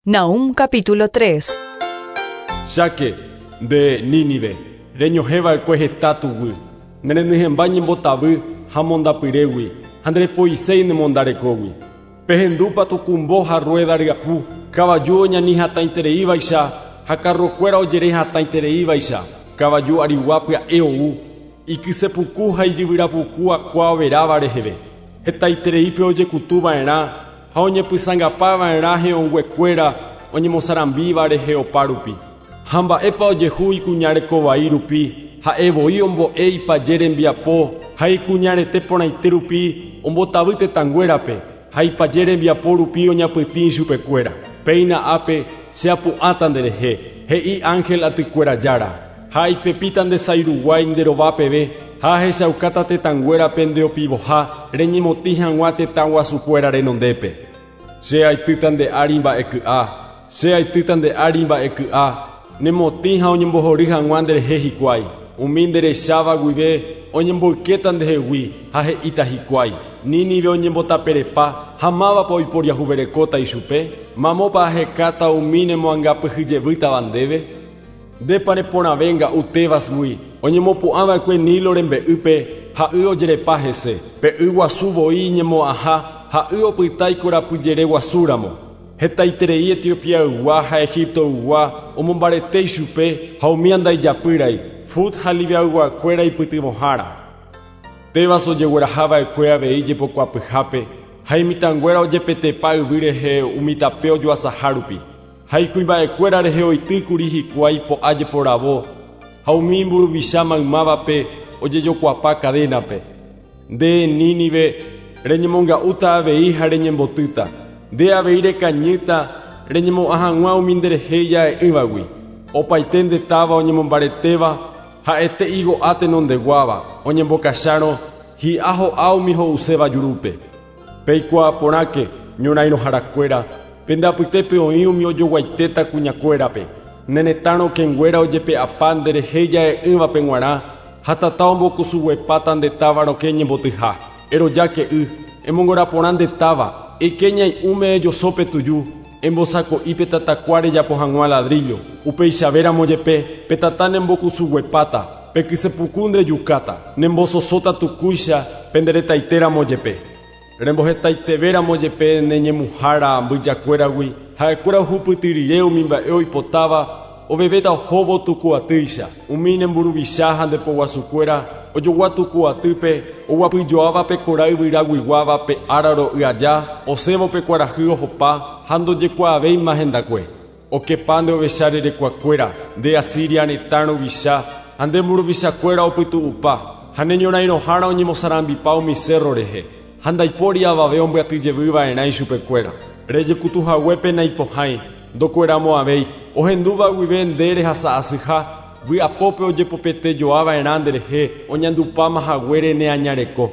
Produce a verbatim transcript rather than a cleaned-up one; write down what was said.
Nahum capítulo tres. Cháke, nde Nínive, reñohẽva'ekue heta tuguy, nerenyhẽmba ñembotavy ha mondapyrégui, ha nderepoiséi nemondarekógui. Pehendúpa tukumbo ha rueda ryapu, kavaju oñani hatãitereívaicha ha karrokuéra ojere hatãitereívaicha, kavaju arigua pya'e ou, ikysepuku ha ijyvyrapuku akua overáva reheve. Hetaitereípe ojekutuva'erã ha oñepysãngapava'erã he'õnguekuéra oñemosarambíva rehe opa rupi. Ha mba'épa ojehu ikuñarekovai rupi, ha'e voi ombo'e ipaje rembiapo ha ikuñarete porãite rupi ombotavy tetãnguérape ha ipaje rembiapo rupi oñapytĩ ichupekuéra. Péina ápe che apu'ãta nderehe, he'i ángel atykuéra jára, ha ipepíta nde sái ruguái nde rova peve ha ahechaukáta tetãnguérape ndeopivoha reñemotĩ hag̃ua tetã guasukuéra renondépe. Che aitýta nde ári mba'eky'a, che aitýta nde ári mba'eky'a, nemotĩ ha oñembohory hag̃ua nderehe hikuái. Umi nderecháva guive oñemboykéta ndehegui ha he'íta hikuái. Nínive oñembotaperepa ha mávapa oiporiahuverekóta ichupe, mamópa ahekáta umi nemoangapyhyjevýtava ndéve. Ndépa reporãve nga'u Tebasgui, oñemopu'ãva'ekue Nilo rembe'ýpe ha y ojerepa hese. Pe y guasu voi iñemo'ãha ha y opyta ikorapyjere guasúramo. Hetaiterei Etiopiaygua ha Egiptoygua omombarete ichupe ha umi andaijapýrai, Fut ha Libiayguakuéra ipytyvõhára. Tebas ojeguerahava'ekue avei jepokuapyhápe ha imitãnguéra ojepetepa yvy rehe umi tape ojoasaha rupi. Ha ikuimba'ekuéra rehe oitýkuri hikuái po'a jeporavo ha umi mburuvicha maymávape ojejokuapa cadénape. Nde Nínive reñemonga'úta avei ha reñembotýta. Nde avei rekañýta reñemo'ã hag̃ua umi nderehe ija'e'ỹvagui. Opaite nde táva oñemombaretéva ha'ete igo'a tenondeguáva oñembokachárõ hi'a ho'a umi ho'uséva jurúpe. Peikuaa porãke ñorairõharakuéra, pende apytépe oĩ umi ojoguaitéta kuñakuérape. Ne retã rokẽnguéra ojepe'apa nderehe ija'e'ỹvape g̃uarã ha tata ombokusuguepáta nde táva rokẽ ñembotyha. Erojáke y, emongora porã nde táva, eike ñai'ũme ejosópe tuju, embosako'ípe tatakua rejapo hag̃ua ladrillo. Upeichavéramo jepe pe tata nembokusuguepáta, pe kysepuku ndejukáta, nembososóta tukúicha penderetaitéramo jepe. Rembohetaitevéramo jepe neñemuhára mbyjakuéragui, ha'ekuéra ohupytyrire umi mba'e oipotáva ovevéta ohóvo tukuatýicha. Umi nemburuvicha ha ndepoguasukuéra ojogua tukuatýpe oguapyjoáva pe kora yvyraguiguáva pe ára ro'y aja, osẽvo pe kuarahy ohopa ha ndojekuaavéima hendakue. Okepa nde ovecha rerekuakuéra, nde Asiria retã ruvicha ha nde mburuvichakuéra opytu'upa ha neñorairõhára oñemosarambipa umi cerro rehe. Ha ndaipóri avave ombyatyjevyva'erã ichupekuéra. Rejekutuhaguépe naipohãi, ndokueramo'ãvéi, ohendúva guive nde rehasa'asyha, vy'apópe ojepopetejoava'erã nderehe oñandupáma haguére neañareko.